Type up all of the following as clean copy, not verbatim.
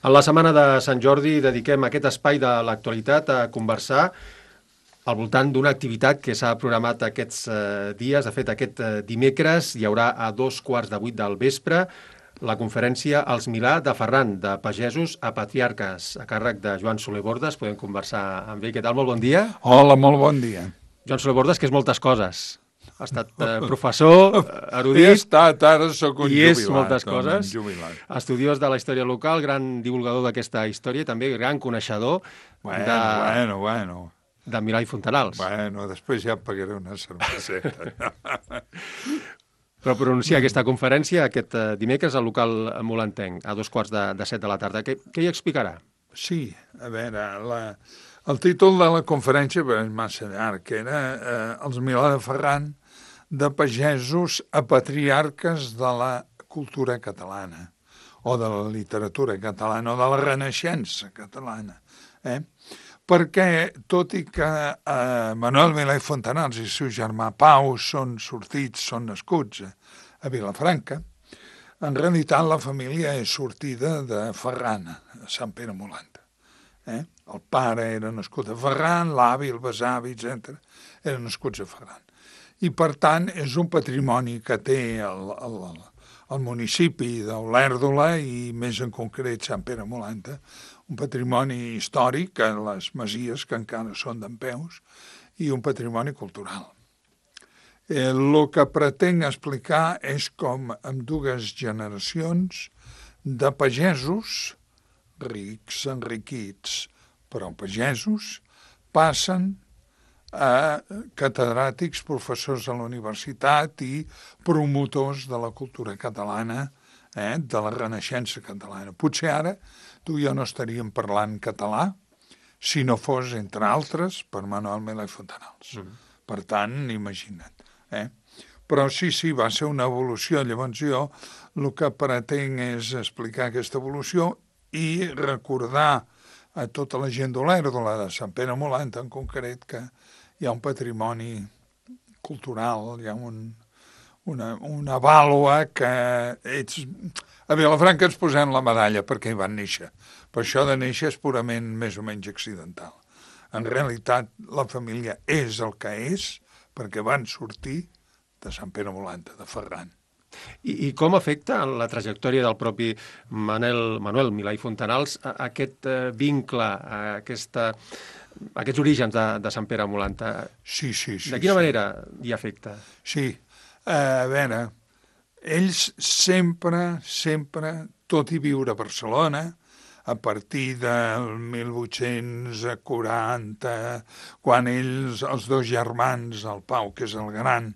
En la setmana de Sant Jordi dediquem aquest espai de l'actualitat a conversar al voltant d'una activitat que s'ha programat aquests dies. De fet, aquest dimecres hi haurà a 7:15 del vespre la conferència Els Milà de Ferran, de pagesos a patriarques, a càrrec de Joan Soler Bordes. Podem conversar amb ell. Què tal? Molt bon dia. Hola, molt bon dia. Joan Soler Bordes, que és moltes coses. Ha estat professor, erudit... He estat, ara sóc un jubilat. I és moltes coses. Jubilat. Estudiós de la història local, gran divulgador d'aquesta història i també gran coneixedor Bueno. de Milà i Fontanals. Bueno, després ja et pagaré una cerveseta. Però pronunciar aquesta conferència aquest dimecres al local molentenc, a 7:15 de la tarda. Què hi explicarà? Sí, a veure, el títol de la conferència és massa llarg, que era Els Milà de Ferran, de pagesos a patriarques de la cultura catalana, o de la literatura catalana, o de la renaixença catalana. Perquè, tot i que Manuel Milà i Fontanals i el seu germà Pau són nascuts a Vilafranca, en realitat la família és sortida de Ferran, a Sant Pere Molanta. El pare era nascut a Ferran, l'avi, el besavi, etc. eren nascuts a Ferran. I, per tant, és un patrimoni que té el municipi d'Olèrdola i, més en concret, Sant Pere Molanta, un patrimoni històric en les masies que encara són dempeus i un patrimoni cultural. El que pretenc explicar és com amb dues generacions de pagesos rics, enriquits, però pagesos, passen a catedràtics, professors a la universitat i promotors de la cultura catalana, de la renaixença catalana. Potser ara tu i jo no estaríem parlant català si no fos, entre altres, per Manuel Milà i Fontanals. Per tant, imagina't. Però sí, va ser una evolució. Llavors jo el que pretenc és explicar aquesta evolució i recordar a tota la gent d'Olèrdola, de Sant Pere Molanta en concret, que hi ha un patrimoni cultural, hi ha una vàlua que a Vilafranca ens posem la medalla perquè hi van néixer. Per això de néixer és purament més o menys accidental. En realitat la família és el que és perquè van sortir de Sant Pere Molanta, de Ferran. I com afecta en la trajectòria del propi Manuel Milà i Fontanals aquest vincle, aquests orígens de Sant Pere Molanta? Sí. De quina manera hi afecta? Sí, a veure, ells sempre, tot i viure a Barcelona, a partir del 1840, quan ells, els dos germans, el Pau, que és el gran,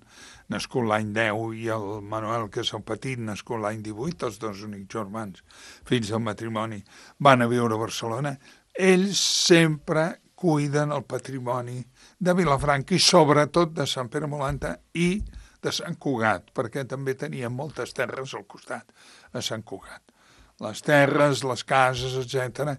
nascut l'any 10, i el Manuel, que és el petit, nascut l'any 18, els dos únics germans, fills del matrimoni, van a viure a Barcelona. Ells sempre cuiden el patrimoni de Vilafranca i sobretot de Sant Pere Molanta i de Sant Cugat, perquè també tenien moltes terres al costat, a Sant Cugat. Les terres, les cases, etc.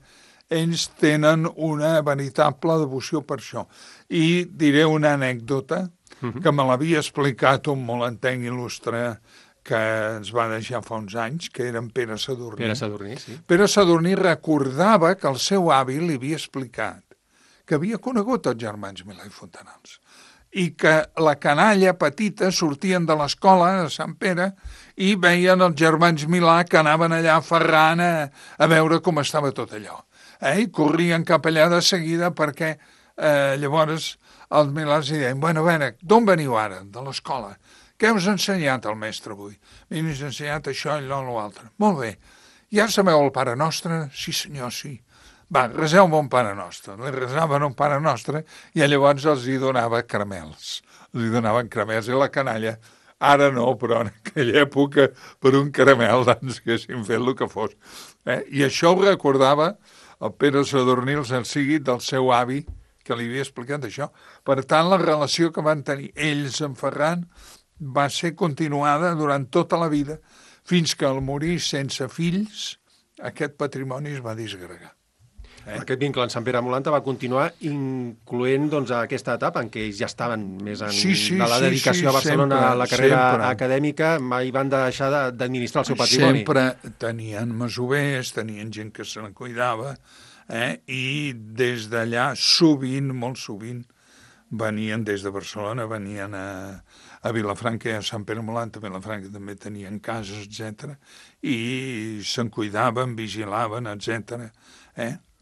Ells tenen una veritable devoció per això. I diré una anècdota que me l'havia explicat un molentenc il·lustre que ens va deixar fa uns anys, que era en Pere Sadurní. Pere Sadurní, sí. Pere Sadurní recordava que el seu avi li havia explicat que havia conegut els germans Milà i Fontanals i que la canalla petita sortien de l'escola a Sant Pere i veien els germans Milà que anaven allà a Ferran a veure com estava tot allò. I corrien cap allà de seguida perquè llavors els Milans deien, bueno, a veure, d'on veniu ara? De l'escola. Què us ha ensenyat el mestre avui? M'ha ensenyat això, allò, l'altre. Molt bé. Ja sabeu el Pare Nostre? Sí, senyor, sí. Va, reseu-me un Pare Nostre. Li resaven un Pare Nostre i llavors els hi donava caramels. Els hi donaven caramels i la canalla, ara no, però en aquella època per un caramel doncs haguessin fet el que fos. I això ho recordava el Pere Sadurní, el sigui del seu avi, que li havia explicat això. Per tant, la relació que van tenir ells amb Ferran va ser continuada durant tota la vida, fins que al morir sense fills, aquest patrimoni es va disgregar. Aquest vincle en Sant Pere Molanta va continuar incloent aquesta etapa en què ells ja estaven més de la dedicació a Barcelona, a la carrera acadèmica, mai van deixar d'administrar el seu patrimoni. Sempre tenien masovers, tenien gent que se la cuidava, i des d'allà sovint, molt sovint, venien des de Barcelona, venien a Vilafranca i a Sant Pere Molanta. A Vilafranca també tenien cases, etc. I se'n cuidaven, vigilaven, etc.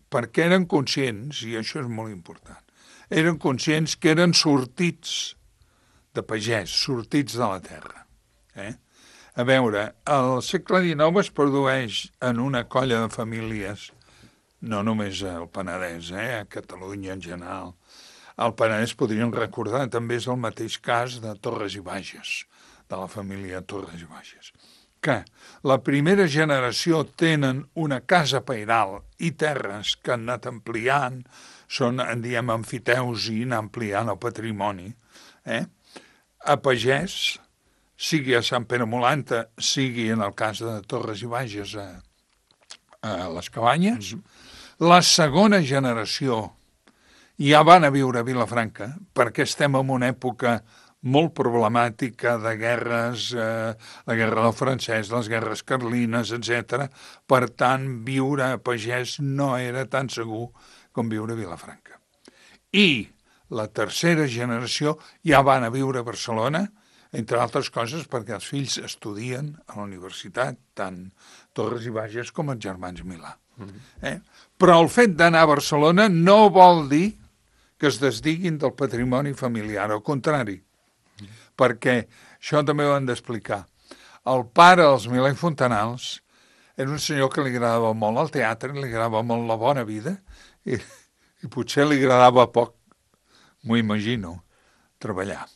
Perquè eren conscients, i això és molt important, eren conscients que eren sortits de pagès, sortits de la terra. A veure, el segle XIX es produeix en una colla de famílies, no només al Penedès, a Catalunya en general. Al Penedès podríem recordar, també és el mateix cas de Torres i Bages, de la família Torres i Bages, que la primera generació tenen una casa pairal i terres que han anat ampliant, són, en diem, amfiteus i anar ampliant el patrimoni. A pagès, sigui a Sant Pere Molanta, sigui en el cas de Torres i Bages a les Cabanyes, la segona generació ja van a viure a Vilafranca, perquè estem en una època molt problemàtica de guerres, la guerra del francès, les guerres carlines, etc. Per tant, viure a pagès no era tan segur com viure a Vilafranca. I la tercera generació ja van a viure a Barcelona, entre altres coses perquè els fills estudien a la universitat, tant Torres i Bages com els germans Milà. Però el fet d'anar a Barcelona no vol dir que es desdiguin del patrimoni familiar, al contrari, perquè això també ho han d'explicar. El pare dels Milà i Fontanals era un senyor que li agradava molt el teatre, li agradava molt la bona vida i potser li agradava poc, m'ho imagino, treballar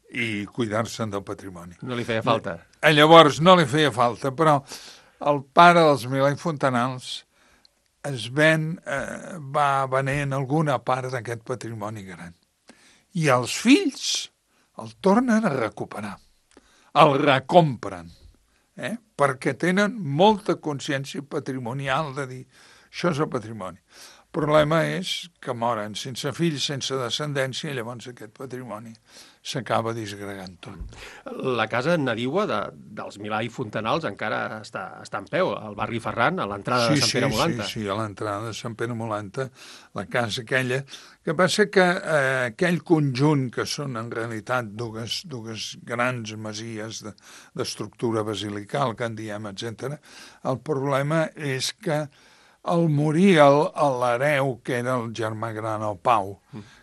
i cuidar-se'n del patrimoni. No li feia falta. Llavors no li feia falta, però el pare dels Milà i Fontanals va venent alguna part d'aquest patrimoni gran. I els fills el tornen a recuperar, el recompren, perquè tenen molta consciència patrimonial de dir això és el patrimoni. El problema és que moren sense fills, sense descendència, i llavors aquest patrimoni s'acaba disgregant tot. La casa nadiua dels Milà i Fontanals encara està en peu, al barri Ferran, a l'entrada de Sant Pere Molanta. Sí, a l'entrada de Sant Pere Molanta, la casa aquella, que passa que aquell conjunt, que són en realitat dues grans masies d'estructura basilical, que en diem, etc., el problema és que al morir l'hereu, que era el germà gran, el Pau,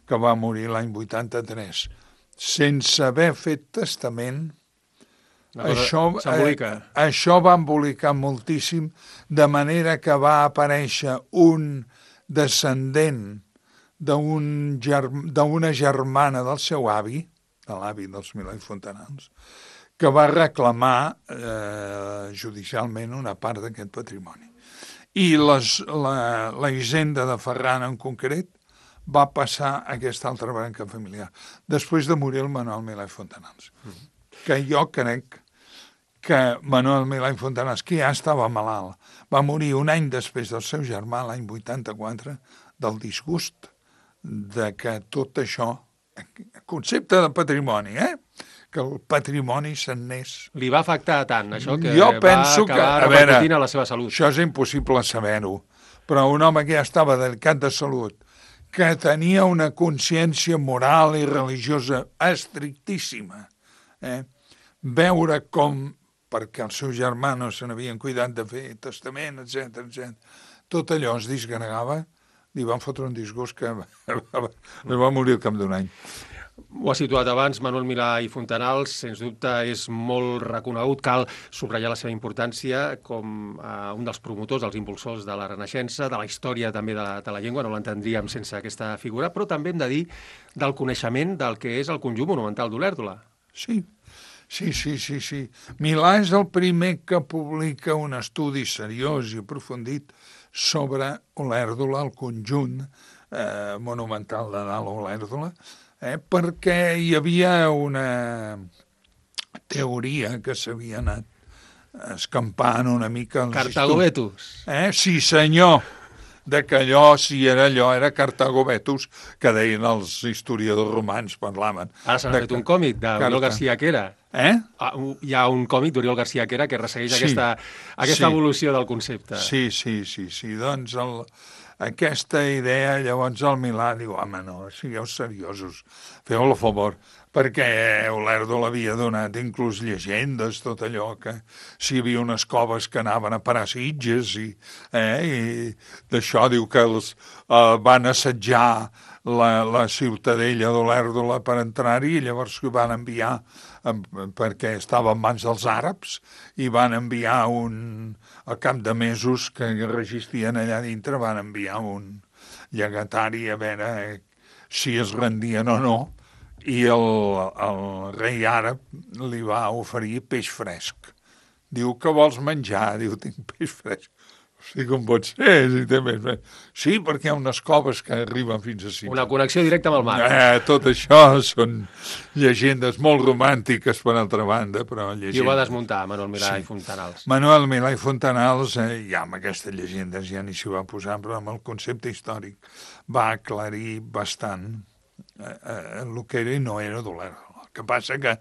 que va morir l'any 83, sense haver fet testament, això va embolicar moltíssim, de manera que va aparèixer un descendent d'una germana del seu avi, de l'avi dels Milà i Fontanals, que va reclamar judicialment una part d'aquest patrimoni. I la hisenda de Ferran en concret va passar a aquesta altra branca familiar, després de morir el Manuel Milà i Fontanals. Que jo crec que Manuel Milà i Fontanals, que ja estava malalt, va morir un any després del seu germà, l'any 84, del disgust de que tot això, concepte de patrimoni, que el patrimoni se'n n'és. Li va afectar tant, això, que jo penso va acabar repercutint a la seva salut. Això és impossible saber-ho, però un home que ja estava delicat de salut, que tenia una consciència moral i religiosa estrictíssima, veure com, perquè els seus germanos se n'havien cuidat de fer testament, etc., tot allò es disgregava, li van fotre un disgust que va morir al cap d'un any. Ho ha situat abans, Manuel Milà i Fontanals, sens dubte és molt reconegut, cal subratllar la seva importància com un dels promotors, dels impulsors de la Renaixença, de la història també de la llengua, no l'entendríem sense aquesta figura, però també hem de dir del coneixement del que és el conjunt monumental d'Olèrdola. Sí. Milà és el primer que publica un estudi seriós i aprofundit sobre Olèrdola, el conjunt monumental de dalt Olèrdola, perquè hi havia una teoria que s'havia anat escampant una mica... Cartagovetus. Sí, senyor. que allò, si era allò, era Cartago Vetus, que deien els historiadors romans, parlaven. Ara s'ha fet un còmic d'Oriol García Quera. Hi ha un còmic d'Oriol García Quera que ressegueix aquesta evolució del concepte. Sí. Doncs aquesta idea, llavors el Milà diu, home, no, sigueu seriosos, feu-ho a favor, perquè Olèrdola l'havia donat inclús llegendes, tot allò, que si hi havia unes coves que anaven a parar Sitges, i d'això diu que els van assetjar la ciutadella d'Olèrdola per entrar-hi, i llavors ho van enviar, perquè estava en mans dels àrabs, i van enviar al cap de mesos que resistien allà dintre, van enviar un llegatari a veure si es rendien o no, i el rei àrab li va oferir peix fresc. Diu, que vols menjar? Diu, tinc peix fresc. Sí, com pot ser, si té més fresc. Sí, perquè hi ha unes coves que arriben fins a Sitges. Una connexió directa amb el mar. Tot això són llegendes molt romàntiques, per altra banda, però llegendes. I ho va desmuntar Manuel Milà i Fontanals. Manuel Milà i Fontanals, ja amb aquestes llegendes ja ni s'hi va posar, però amb el concepte històric va aclarir bastant el que era i no era d'Olèrdola. El que passa que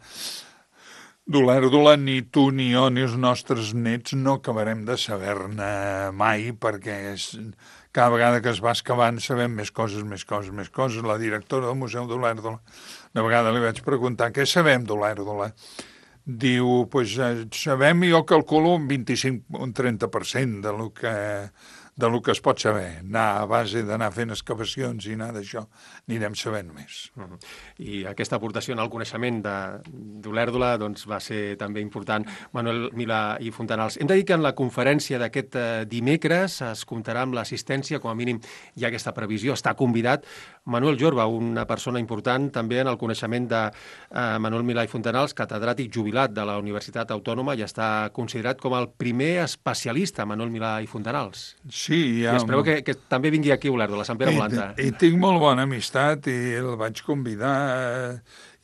d'Olèrdola ni tu ni jo ni els nostres nets no acabarem de saber-ne mai, perquè cada vegada que es va excavant sabem més coses. La directora del Museu d'Olèrdola, una vegada li vaig preguntar què sabem d'Olèrdola. Diu, doncs sabem, jo calculo un 25 o un 30% de lo que es pot saber. A base d'anar fent excavacions i anar d'això, anirem sabent més. I aquesta aportació en el coneixement d'Olèrdola doncs, va ser també important. Manuel Milà i Fontanals. Hem de dir que en la conferència d'aquest dimecres es comptarà amb l'assistència, com a mínim hi ha aquesta previsió, està convidat Manuel Jorba, una persona important també en el coneixement de Manuel Milà i Fontanals, catedràtic jubilat de la Universitat Autònoma, i està considerat com el primer especialista, Manuel Milà i Fontanals. Sí, ja... I espero que també vingui aquí a Olèrdola, a Sant Pere Molanta. I tinc molt bona amistat i el vaig convidar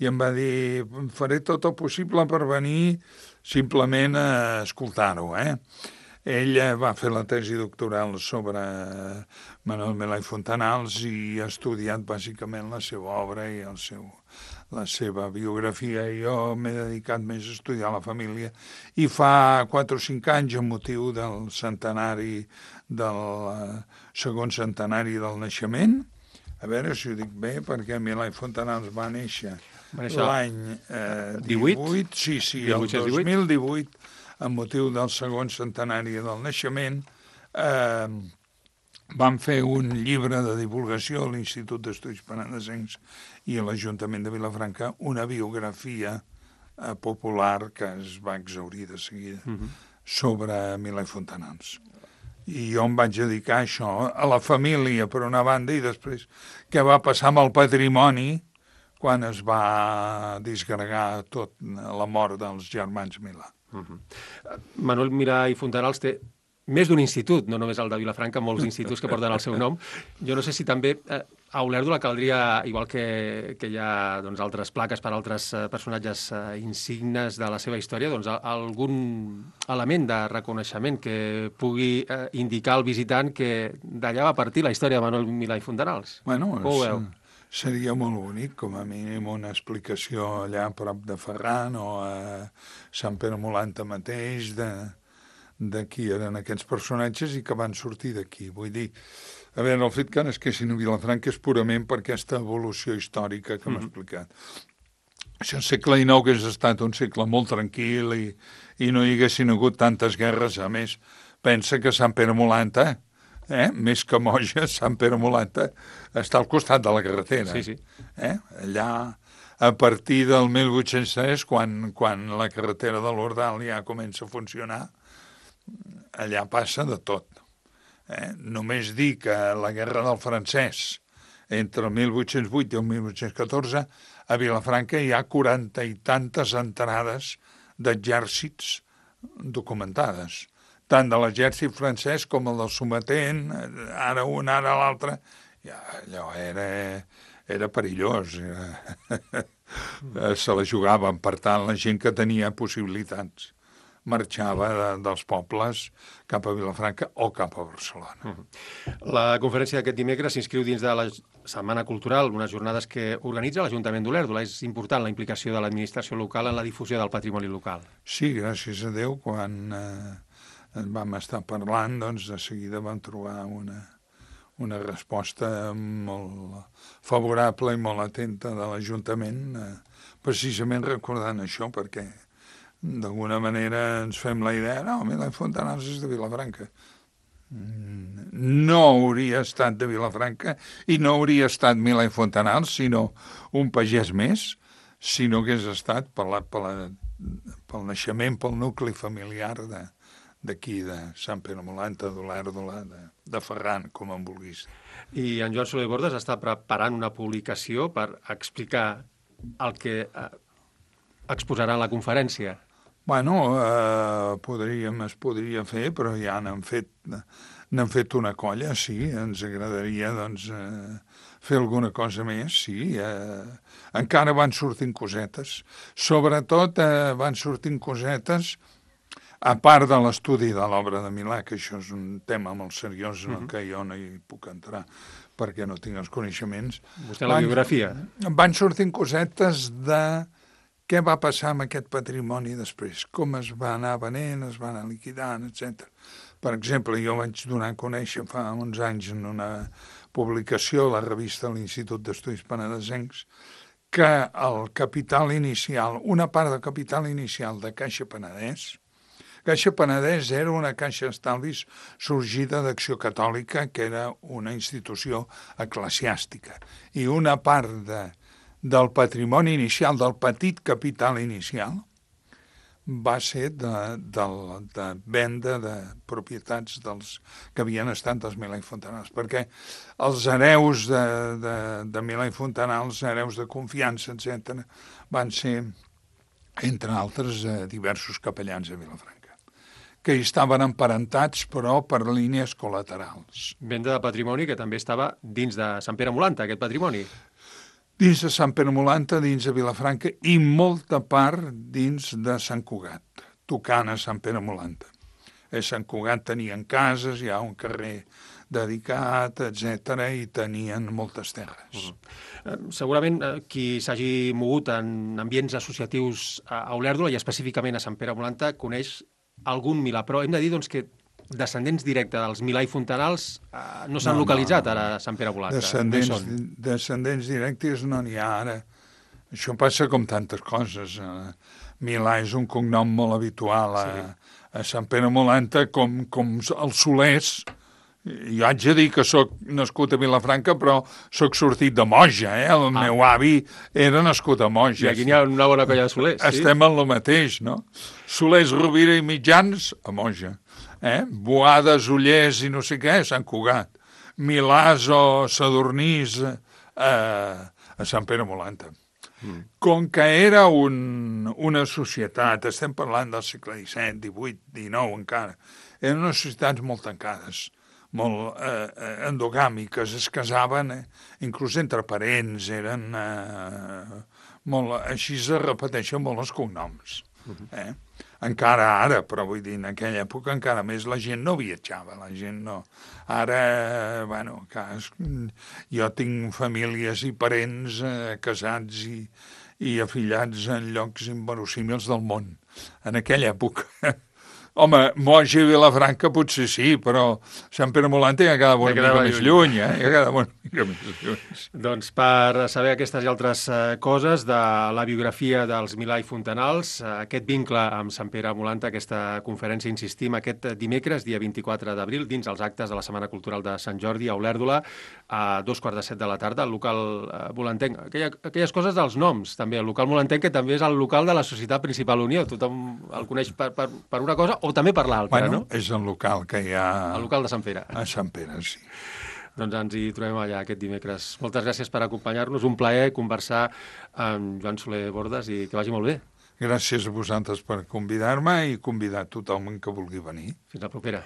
i em va dir, faré tot el possible per venir simplement a escoltar-ho. Ell va fer la tesi doctoral sobre Manuel Milà i Fontanals i ha estudiat bàsicament la seva obra i la seva biografia. Jo m'he dedicat més a estudiar la família i fa 4 o 5 anys, amb motiu del segon centenari del naixement, a veure si ho dic bé, perquè Milà i Fontanals va néixer l'any 18, el 2018, amb motiu del segon centenari del naixement, van fer un llibre de divulgació a l'Institut d'Estudis Penedesencs i a l'Ajuntament de Vilafranca, una biografia popular que es va exhaurir de seguida sobre Milà i Fontanals. I jo em vaig dedicar a això, a la família, per una banda, i després què va passar amb el patrimoni quan es va disgregar tot la mort dels germans Milà. Manuel Milà i Fontanals té més d'un institut, no només el de Vilafranca, molts instituts que porten el seu nom. Jo no sé si també a Olèrdola caldria, igual que hi ha altres plaques per altres personatges insignes de la seva història, algun element de reconeixement que pugui indicar al visitant que d'allà va partir la història de Manuel Milà i Fontanals. Bueno, seria molt bonic, com a mínim una explicació allà a prop de Ferran o a Sant Pere Molanta mateix de qui eren aquests personatges i que van sortir d'aquí. Vull dir, a veure, el fet que nasquessin a Vilafranca és purament per aquesta evolució històrica que m'ha explicat. Això el segle XIX hagués estat un segle molt tranquil i no hi haguessin hagut tantes guerres. A més, pensa que Sant Pere Molanta, més que Moja, Sant Pere Molanta està al costat de la carretera. Sí. Allà, a partir del 1803, quan la carretera de l'Ordal ja comença a funcionar, allà passa de tot. Només dir que la guerra del francès, entre el 1808 i el 1814, a Vilafranca hi ha 40 i tantes entrades d'exèrcits documentades, tant de l'exèrcit francès com el del sometent, ara un, ara l'altre. Allò era perillós. Se la jugaven, per tant, la gent que tenia possibilitats. marxava dels pobles cap a Vilafranca o cap a Barcelona. La conferència d'aquest dimecres s'inscriu dins de la Setmana Cultural, unes jornades que organitza l'Ajuntament d'Olèrdola. És important la implicació de l'administració local en la difusió del patrimoni local. Sí, gràcies a Déu, quan vam estar parlant, doncs de seguida vam trobar una resposta molt favorable i molt atenta de l'Ajuntament, precisament recordant això, perquè d'alguna manera ens fem la idea, no, Milà i Fontanals és de Vilafranca. No hauria estat de Vilafranca i no hauria estat Milà i Fontanals, sinó un pagès més, si no hagués estat pel naixement, pel nucli familiar d'aquí, de Sant Pere Molanta, d'Olèrdola, de Ferran, com en vulguis. I en Joan Soler Bordes està preparant una publicació per explicar el que exposarà en la conferència. Bueno, es podria fer, però ja n'han fet una colla, sí, ens agradaria, doncs, fer alguna cosa més, sí. Encara van sortint cosetes. Sobretot van sortint cosetes, a part de l'estudi de l'obra de Milà, que això és un tema molt seriós en el que jo no hi puc entrar perquè no tinc els coneixements. Vostè la biografia. Van sortint cosetes de què va passar amb aquest patrimoni després, com es va anar venent, es va anar liquidant, etc. Per exemple, jo vaig donar a conèixer fa uns anys en una publicació a la revista de l'Institut d'Estudis Penedesencs que el capital inicial, una part del capital inicial de Caixa Penedès era una caixa d'estalvis sorgida d'Acció Catòlica, que era una institució eclesiàstica, i una part del patrimoni inicial, del petit capital inicial, va ser de venda de propietats dels que havien estat dels Milà i Fontanals, perquè els hereus de Milà i Fontanals, hereus de confiança, etc., van ser, entre altres, diversos capellans a Vilafranca, que hi estaven emparentats, però per línies col·laterals. Venda de patrimoni que també estava dins de Sant Pere Molanta, aquest patrimoni. Dins de Sant Pere Molanta, dins de Vilafranca i molta part dins de Sant Cugat, tocant a Sant Pere Molanta. A Sant Cugat tenien cases, hi ha un carrer dedicat, etc., i tenien moltes terres. Segurament qui s'hagi mogut en ambients associatius a Olèrdola i específicament a Sant Pere Molanta coneix algun Milà, però hem de dir doncs, que descendents directes dels Milà i Fontanals no s'han localitzat ara a Sant Pere Molanta. Descendents directes no n'hi ha ara. Això passa com tantes coses. Milà és un cognom molt habitual a Sant Pere Molanta, com els Solers. Jo haig de dir que sóc nascut a Vilafranca, però sóc sortit de Moja. El meu avi era nascut a Moja. I aquí n'hi ha una bona colla de Solers. Estem en el mateix, no? Solers, Rovira i Mitjans, a Moja. Boades, Ullers i no sé què, a Sant Cugat. Milàs o Sadurnís a Sant Pere Molanta. Com que era una societat, estem parlant del segle XVII, XVIII, XIX encara, eren unes societats molt tancades, molt endogàmiques, es casaven, inclús entre parents, eren molt... Així es repeteixen molt els cognoms. Encara ara, però vull dir, en aquella època encara més la gent no viatjava, la gent no... Ara, bueno, jo tinc famílies i parents casats i afillats en llocs inverosímils del món. En aquella època... Home, Moja i Vilafranca potser sí, però Sant Pere Molanta ja quedava una mica més lluny, ja quedava una mica més lluny. Doncs per saber aquestes i altres coses de la biografia dels Milà i Fontanals, aquest vincle amb Sant Pere Molanta, aquesta conferència, insistim, aquest dimecres, dia 24 d'abril, dins els actes de la Setmana Cultural de Sant Jordi a Olèrdola, a 2:45 de la tarda, al local molantenc. Aquelles coses dels noms, també. El local molantenc, que també és el local de la Societat Principal Unió. Tothom el coneix per una cosa o també per l'altra, no? És el local que hi ha... El local de Sant Pere. A Sant Pere, sí. Doncs ens hi trobem allà aquest dimecres. Moltes gràcies per acompanyar-nos. Un plaer conversar amb Joan Soler Bordes i que vagi molt bé. Gràcies a vosaltres per convidar-me i convidar tothom que vulgui venir. Fins la propera.